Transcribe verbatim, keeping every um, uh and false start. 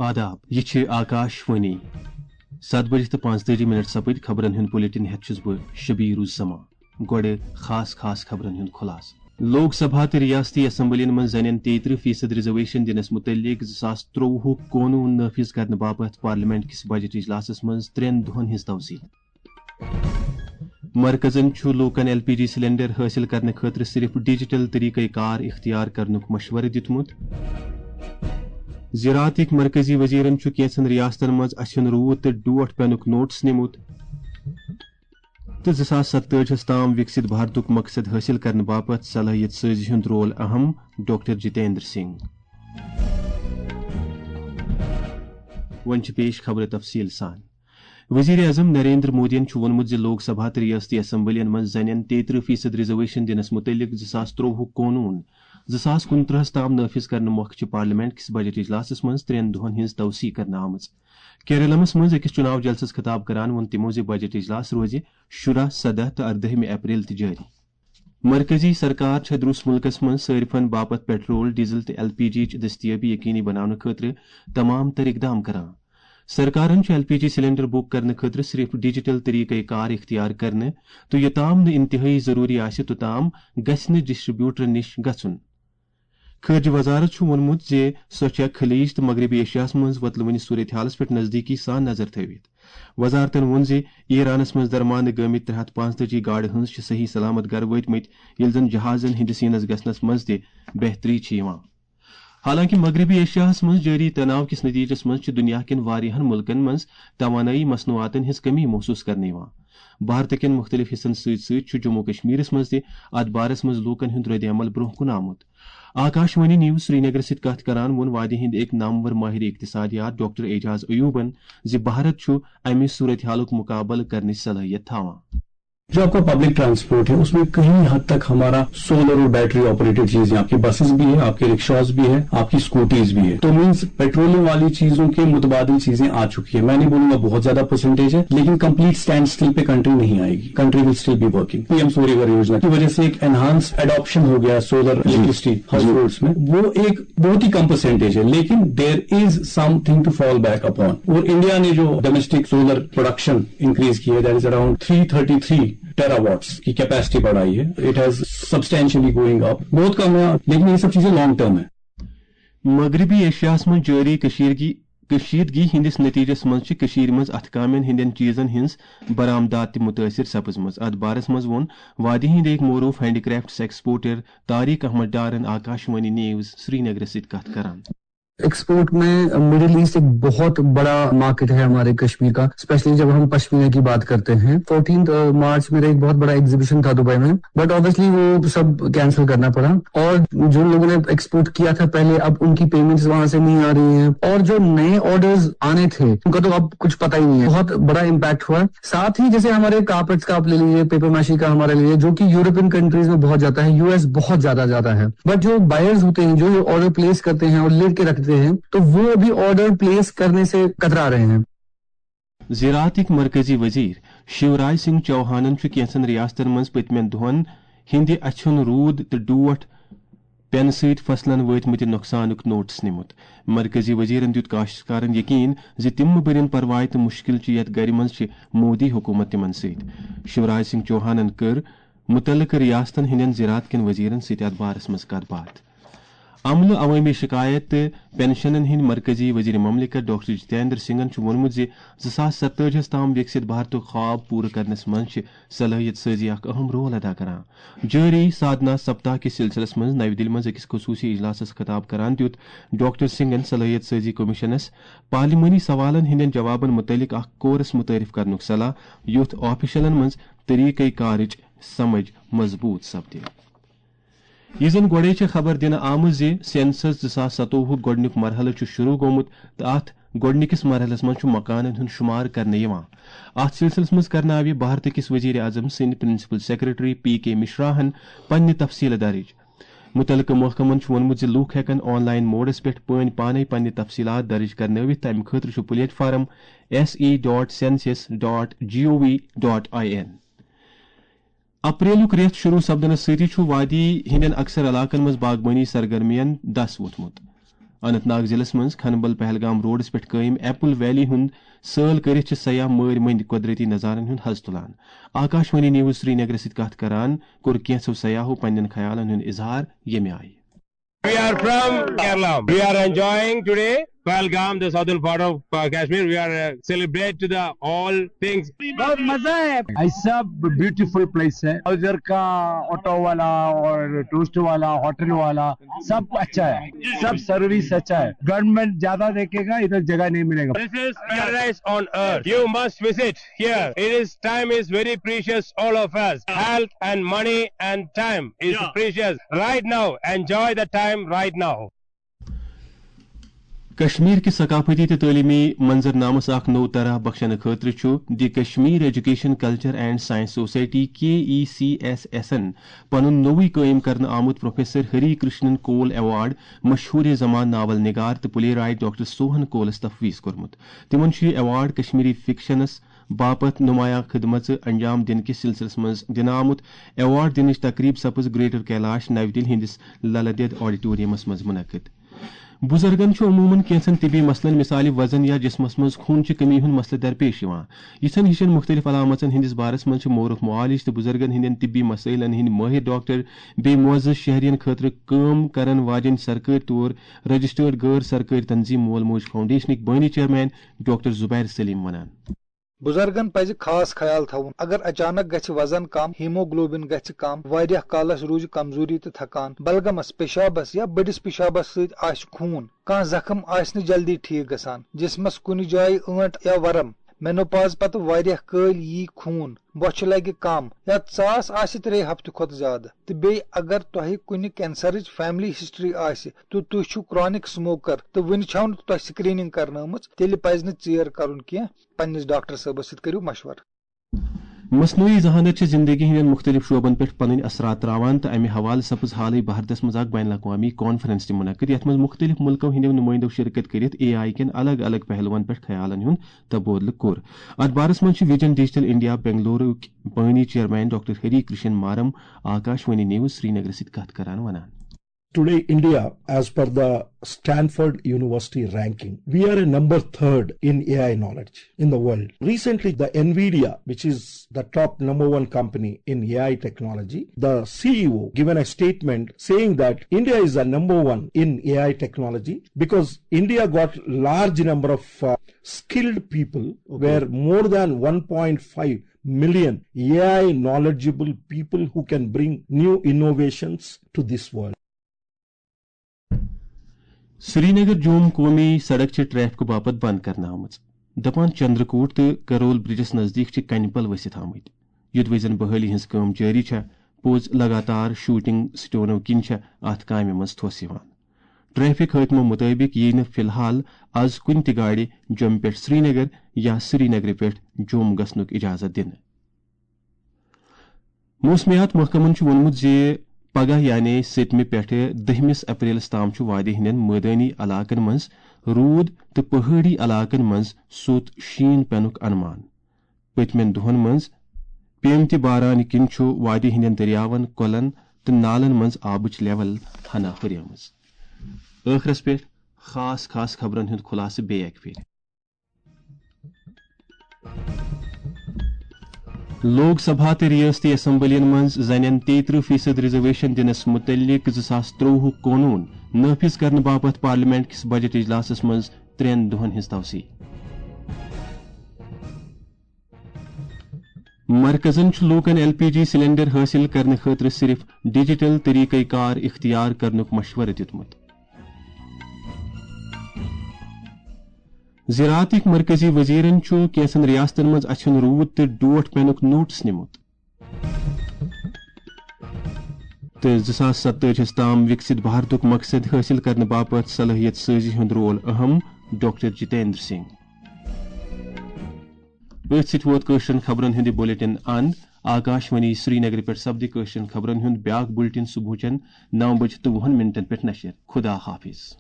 آداب، یہِ چھِ آکاش وانی۔ ستھ بجہِ تہٕ پانٛژتٲجی منٹ سپٕدۍ۔ خبرن ہُنٛد بلیٹن ہٮ۪تھ چھُس بہٕ شبیر الزمان۔ گۄڈٕ خاص خاص خبرن ہُنٛد خلاصہٕ۔ لوک سبھا تہٕ ریاستی اسمبلین منٛز زنٮ۪ن تیٚیہِ ترٕٛہ فیصد ریزرویشن دِنس مُتعلق زٕ ساس ترٛۆوُہُک قونوٗن نافذ کرنہٕ باپتھ پارلیمنٹ کِس بجٹ اجلاسس منٛز ترٛٮ۪ن دۄہن ہٕنٛز توسیع۔ مرکزن چھُ لوٗکن ایل پی جی سلنڈر حٲصِل کرنہٕ خٲطرٕ صرف ڈیجیٹل طریقہ کار اختیار کرنُک مشورٕ دِیُتمُت۔ زراعتٕکۍ مرکزی وزیرن چھُ کینٛژن ریاستن منٛز اچھن روٗد تہٕ ڈوٹھ پینُک نوٹس نِمُت۔ تہٕ زٕ ساس ستتٲجی ہَس تام وِکسِت بھارتُک مقصد حٲصِل کرنہٕ باپتھ صلٲحیت سٲزی ہُنٛد رول اہم، ڈاکٹر جتیندر سنگھ۔ وۄنۍ چھِ پیش خبرٕ تفصیٖل سان۔ وزیر اعظم نریندر مودیَن چھُ ووٚنمُت زِ لوک سبھا تہٕ ریاستی اسمبلین منٛز زنٮ۪ن تیٚیہِ ترٕٛہ فیصد ریزرویشن دِنَس مُتعلق زٕ ساس ترٛۆوُہُک قونوٗن زٕ ساس کُنترٕٛہَس تام نافذ کرنہٕ مۄکھٕ چھِ پارلیمنٹ کِس بجٹ اجلاسَس منٛز ترٛٮ۪ن دۄہَن ہٕنٛز توسیع کرنہٕ آمٕژ۔ کیرلمس منٛز أکِس چُناو جلسس خطاب کران ووٚن تِمو زِ بجٹ اجلاس روزِ شُراہ، سداہ تہٕ اردٲہمہِ اپریل تہِ جٲری۔ مرکزی سرکار چھےٚ درُس مُلکس منٛز صٲرفن باپتھ پیٹرول، ڈیزل تہٕ ایل پی جی چہِ دٔستیٲبی یقینی بناونہٕ خٲطرٕ تمام تر اقدام کران۔ سرکارن چھُ L P G cylinder book کرنہٕ خٲطرٕ صرف ڈیجیٹل طریقہ کار اختیار کرنہٕ تہٕ یوٚتام نہٕ انتہٲئی ضروری آسہِ، توٚتام گژھِ نہٕ ڈسٹریبیوٹرن نِش گژھُن۔ خارجہ وزارت چھُ ووٚنمُت زِ سۄ چھےٚ خلیج تہٕ مغربی ایشیاہَس منٛز وۄتلوٕنہِ صورتحالَس پٮ۪ٹھ نزدیٖکی سان نظر تھٲوِتھ۔ وزارتَن ووٚن زِ ایرانَس منٛز درمانہٕ گٲمٕتۍ ترٛےٚ ہَتھ پانٛژتٲجی گاڑِ ہٕنٛز چھِ صحیح سلامت گَرٕ وٲتمٕتۍ، ییٚلہِ زَن جہازَن ہِنٛدِس یِنَس گژھنَس منٛز تہِ بہتری چھِ یِوان۔ حالانکہ مغربی ایشیاہَس منٛز جٲری تناو کِس نتیجس منٛز چھِ دُنیا کٮ۪ن واریاہَن مُلکَن منٛز توانٲیی مصنوعاتَن ہٕنٛز کمی محسوس کرنہٕ یِوان۔ بھارتہٕ کٮ۪ن مُختٔلِف حصن سۭتۍ سۭتۍ چھُ جموں کشمیرس منٛز تہِ اتھ بارس منٛز لوٗکن ہُنٛد رد عمل برٛونٛہہ کُن آمُت۔ آکاشوانی نیوز سرینگرس سۭتۍ کتھ کران ووٚن وادی ہٕنٛدۍ أکۍ نامور ماہر اقتصادیات ڈاکٹر اعجاز ایوبن زِ بھارت چھُ امہِ صورتحالُک مقابلہٕ کرنٕچ صلٲحیت تھاوان۔ جو आपका पब्लिक ट्रांसपोर्ट है, उसमें कहीं हद तक हमारा सोलर और बैटरी ऑपरेटेड चीजें, आपकी बसेस भी है, आपके रिक्शाज भी है, आपकी स्कूटीज भी है। तो मीन्स पेट्रोलियम वाली चीजों के मुतबादिल चीजें आ चुकी है। मैं नहीं बोलूंगा बहुत ज्यादा परसेंटेज है, लेकिन कंप्लीट स्टैंड स्टिल पे कंट्री नहीं आएगी। Country will still be working. PM Surya Ghar योजना की वजह से एक एनहांस एडॉप्शन हो गया सोलर इलेक्ट्रिसिटी हाउस होल्ड्स में। वो एक बहुत ही कम परसेंटेज है, लेकिन there is something to fall back upon। और इंडिया ने जो डोमेस्टिक सोलर प्रोडक्शन इंक्रीज की है, that is around three thirty three terawatt की कैपेसिटी बढ़ाई है। It has substantially going up। बहुत कम है, लेकिन ये सब चीजें लॉन्ग टर्म है। مغربی ایشیاہس منٛز جٲری کشیٖرگی کشیدگی ہٕنٛدِس نتیجس منٛز چھِ کٔشیٖرِ منٛز اتھٕ کامٮ۪ن ہٕنٛدٮ۪ن چیٖزن ہٕنٛز برآمدات تہِ مُتٲثِر سپٕزمٕژ۔ اتھ بارس منٛز ووٚن وادی ہٕنٛدۍ أکۍ معروٗف handicraft exporter Tariq Ahmad ڈارن آکاشوانی نیوز سرینگرس سۭتۍ کتھ کران۔ एक्सपोर्ट में मिडिल ईस्ट एक बहुत बड़ा मार्केट है हमारे कश्मीर का, स्पेशली जब हम पश्मीना की बात करते हैं। फोर्टीन मार्च मेरा एक बहुत बड़ा एग्जीबिशन था दुबई में, बट ऑब्वियसली वो सब कैंसिल करना पड़ा। और जिन लोगों ने एक्सपोर्ट किया था पहले, अब उनकी पेमेंट्स वहां से नहीं आ रही हैं, और जो नए ऑर्डर्स आने थे उनका तो अब कुछ पता ही नहीं है। बहुत बड़ा इम्पैक्ट हुआ है। साथ ही जैसे हमारे कारपेट्स का आप ले लीजिए, पेपर माशी का हमारा ले लीजिए, जो कि यूरोपियन कंट्रीज में बहुत जाता है, यूएस बहुत ज्यादा जाता है, बट जो बायर्स होते हैं, जो ये ऑर्डर प्लेस करते हैं और लेके रखते हैं, तो वो अभी ऑर्डर प्लेस करने से कतरा रहे हैं। زراعتٕکۍ مرکزی وزیر شیوراج سنگھ چوہانن چھُ کینٛژن ریاستن منٛز پٔتمٮ۪ن دۄہن ہٕنٛدِ اچھن روٗد تہٕ ڈوٹھ پینہٕ سۭتۍ فصلن وٲتمٕتہِ نۄقصانُک نوٹس نِمُت۔ مرکزی وزیرن دیُت کاشتکارن یقین زِ تِم مہٕ بٔرِن پرواے تہٕ مُشکِل چھُ یتھ گرِ منٛز چھِ مودی حکومت تِمن سۭتۍ۔ شیوراج سنگھ چوہانن کٔر مُتعلقہٕ ریاستن ہٕنٛدٮ۪ن زراعت کٮ۪ن وزیرن سۭتۍ اتھ بارس منٛز کتھ باتھ۔ عملہٕ، عوٲمی شکایت تہٕ پنشنن ہٕنٛدۍ مرکزی وزیر مملکت ڈاکٹر جتیندر سنگھن چھُ ووٚنمُت زِ زٕ ساس ستتٲجی ہَس تام وِکسِت بھارتُک خواب پوٗرٕ کرنس منٛز چھِ صلٲحیت سٲزی اکھ اہم رول ادا کران۔ جٲری سادھنا سپتاہ کِس سلسلس منٛز نَوِ دِلہِ منٛز أکِس خصوٗصی اجلاسس خطاب کران دیُت ڈاکٹر سنگھن صلٲحیت سٲزی کمیشنس پارلیمانی سوالن ہٕنٛدٮ۪ن جوابن مُتعلق اکھ کورس مُتعارف کرنُک صلاح، یُتھ آفیشلن منٛز طریقہٕ کارٕچ سمجھ مضبوٗط سپدِ۔ یہِ زن گۄڈے چھےٚ خبر دِنہٕ آمٕژ زِ سینسس زٕ ساس ستووُہُک گۄڈٕنیُک مرحلہٕ چھُ شروٗع گوٚمُت تہٕ اتھ گۄڈٕنِکِس مرحلس منٛز چھُ مکانن ہُنٛد شُمار کرنہٕ یِوان۔ اتھ سلسلس منٛز کرناوِ بھارت کِس وزیر اعظم سٕنٛدِ پرنسپل سیکرٹری پی کے مشراہن پننہِ تفصیلہٕ درٕج۔ مُتعلقہٕ محکمن چھُ ووٚنمُت زِ لوٗکھ ہٮ۪کن آن لاین موڈس پٮ۪ٹھ پٲنۍ پانے پننہِ تفصیلات درٕج کرنٲوِتھ، تمہِ خٲطرٕ چھُ platform S E dot census dot G O V dot I N. اپریلُک رٮ۪تھ شروٗع سپدنس سۭتی چھُ وادی ہٕنٛدٮ۪ن اکثر علاقن منٛز باغبٲنی سرگرمین دس ووٚتھمُت۔ اننت ناگ ضلعس منٛز کھنبل پہلگام روڈس پٮ۪ٹھ قٲیِم ایپل ویلی ہُنٛد سٲل کٔرِتھ چھِ سیاح مٲرۍ مٔنٛدۍ قۄدرٔتی نظارن ہُنٛد حظ تُلان۔ آکاش وانی نیوز سرینگرس سۭتۍ کتھ کران کوٚر کینٛژو سیاحو پننٮ۪ن خیالن ہُنٛد اظہار ییٚمہِ آیہِ۔ We are from Kerala. We are enjoying today Pahalgam, the southern part of uh, Kashmir. We are uh, celebrate to the all things. बहुत मजा है। ऐसा ब्यूटीफुल प्लेस है। उधर का ऑटो वाला और टूरिस्ट वाला, होटल वाला, सब अच्छा है, सब सर्विस अच्छा है। गवर्नमेंट ज्यादा देखेगा, इधर जगह नहीं मिलेगा। This is paradise on earth. You must visit here. It is time is very precious. All of us, health and money and time is precious. Right now, enjoy the time right now. Kashmir کہِ ثقافتی تہٕ تعلیمی منظرنامس اکھ نوٚو طرح بخشنہٕ خٲطرٕ چھُ the Kashmir education culture and science society, K E C S ایسن، پنُن نوٚوُے قٲیِم کرنہٕ آمُت پروفیسر ہری کرشنن کول ایوارڈ مشہوٗر زمان ناول نگار تہٕ پلے رائٹ ڈاکٹر سوہن کولس تفویض کوٚرمُت۔ تِمن چھُ یہِ ایوارڈ کشمیری فکشنس باپتھ نمایاں خدمژٕ انجام دِنہٕ کِس سلسلس منٛز دِنہٕ آمُت۔ ایوارڈ دِنٕچ تقریب سپٕز گریٹر کیلاش نو دِلہِ ہٕنٛدِس للدید آڈیٹوریمس منٛز منعقد۔ بُزرگن چھُ عموٗمن کینٛژن طبی مسلن، مثالہِ وزن یا جسمس منٛز خوٗنچہِ کمی ہُنٛد مسلہٕ درپیش یِوان۔ یِژھن ہِشن مُختٔلِف علامژن ہٕنٛدِس بارس منٛز چھِ مورخ معالج تہٕ بُزرگن ہٕنٛدٮ۪ن طبی مسٲیلن ہٕنٛدۍ مٲہِر ڈاکٹر بیٚیہِ معزز شہرین خٲطرٕ کٲم کرن واجٮ۪ن سرکٲرۍ طور رجسٹرڈ غٲر سرکٲرۍ تنظیم مول موج فاؤنڈیشنٕکۍ بٲنی چیئرمین ڈاکٹر زبیر سلیم ونان۔ بُزرگن پزِ خاص خیال تھاوُن۔ اگر اچانک گژھِ وزن کم، ہیموگلوبن گژھِ کم، واریاہ کالس روزِ کمزوری تہٕ تھکان، بلغمس، پیشابس یا بٔڑِس پیشابس سۭتۍ آسہِ خوٗن، کانٛہہ زخم آسہِ نہٕ جلدی ٹھیک گژھان، جسمس کُنہِ جایہِ ٲنٹ یا ورم، مینوپاز پتہٕ واریاہ کٲلۍ یی خوٗن، بۄچھِ لگہِ کم، یا ژاس آسہِ ترٛےٚ ہفتہٕ کھۄتہٕ زیادٕ، تہٕ بیٚیہِ اگر تۄہہِ کُنہِ کینسرٕچ فیملی ہسٹری آسہِ تہٕ تُہۍ چھِو کرانک سموکر تہٕ وُنہِ چھَو نہٕ تۄہہِ سکریننگ کرنٲومٕژ، تیٚلہِ پزِ نہٕ ژیر کرُن کینٛہہ۔ پننِس ڈاکٹر صٲبس سۭتۍ کٔرِو مشورٕ۔ مصنوعی ذہانت چھِ زندگی ہٕنٛدٮ۪ن مُختٔلِف شعبن پٮ۪ٹھ پنٕنۍ اثرات تراوان تہٕ امہِ حوالہٕ سپٕز حالٕے بھارتس منٛز اکھ بین الاقوامی کانفرنس تہِ منعقد، یتھ منٛز مُختٔلِف مُلکو ہٕنٛدٮ۪و نُمٲیندو شرکت کٔرِتھ اے آئی کٮ۪ن الگ الگ پہلوَن پٮ۪ٹھ خیالن ہُنٛد تبادلہٕ کوٚر۔ اتھ بارس منٛز چھِ ویژن ڈیجیٹل انڈیا بنگلورُک بٲنی chairman doctor Hari Krishan Maram Akash Vani news سرینگرٕ سۭتۍ کتھ کران ونان۔ Today, India, as per the Stanford University ranking, we are a number third in A I knowledge in the world. Recently, the Nvidia, which is the top number one company in A I technology, the C E O given a statement saying that India is the number one in A I technology because India got large number of uh, skilled people, where more than one point five million A I knowledgeable people who can bring new innovations to this world. Srinagar جوم قومی سڑک چھِ traffic باپتھ بند کرنہٕ آمٕژ۔ دپان چندرکوٹ تہٕ Karol bridges نزدیٖک چھِ کنہِ پل ؤسِتھ آمٕتۍ۔ یوٚدوَے زن بحٲلی ہٕنٛز کٲم جٲری چھےٚ، پوٚز لگاتار شوٹنگ سٹونو کِنۍ چھےٚ اتھ کامہِ منٛز تھوٚس یِوان۔ ٹریفک حٲکمو مُطٲبِق یِیہِ نہٕ فی الحال از کُنہِ تہِ گاڑِ جوٚمہِ پٮ۪ٹھ سرینگر یا سرینگرٕ پٮ۪ٹھ جوٚم گژھنُک اجازت دِنہٕ۔ موسمیات محکمَن چھُ ووٚنمُت زِ پگہہ یعنی سٔتمہِ پٮ۪ٹھٕ دٔہمِس اپریلَس تام چھُ وادی ہٕنٛدٮ۪ن مٲدٲنی علاقَن منٛز روٗد تہٕ پہٲڑی علاقَن منٛز سوٚت شیٖن پینُک انمان۔ پٔتمٮ۪ن دۄہَن منٛز پیمتہِ باران کِنۍ چھُ وادی ہٕنٛدٮ۪ن دٔریاوَن، کۄلَن تہٕ نالَن منٛز آبٕچ لیول ہنا ہُریمٕژ۔ ٲخرَس پٮ۪ٹھ خاص خاص خبرَن ہُنٛد خُلاصہٕ بیٚیہِ اَکہِ پھِرِ۔ لوک سبھا تہٕ ریاستی اسمبلین منٛز زنٮ۪ن تیترٕہ فیصد ریزرویشن دِنس مُتعلق زٕ ساس ترٛۆوُہُک قونوٗن نافذ کرنہٕ باپتھ پارلیمنٹ کِس بجٹ اجلاسس منٛز ترٛٮ۪ن دۄہن ہٕنٛز توسیع۔ مرکزن چھُ لوٗکن ایل پی جی سلنڈر حٲصِل کرنہٕ خٲطرٕ صرف ڈیجیٹل طریقہ کار اختیار کرنُک مشورٕ دیُتمُت۔ زراعتٕکۍ مرکزی وزیرن چھُ کینٛژن ریاستن منٛز اچھن روٗد تہٕ ڈوٹھ پینُک نوٹس نِمُت۔ تہٕ زٕ ساس ستٲجی ہَس تام وِکسِت بھارتُک مقصد حٲصِل کرنہٕ باپتھ صلٲحیت سٲزی ہُنٛد رول اہم، ڈاکٹر جتیندر سنگھ۔ أتھۍ سۭتۍ ووت کٲشرٮ۪ن خبرن ہُنٛد یہِ بلیٹن اند۔ آکاش وانی سرینگرٕ پٮ۪ٹھ سپدِ کٲشرٮ۪ن خبرن ہُنٛد بیاکھ بلیٹن صبحٕچٮ۪ن نو بجہِ تہٕ وُہن منٹن پٮ۪ٹھ نشر۔ خدا حافظ۔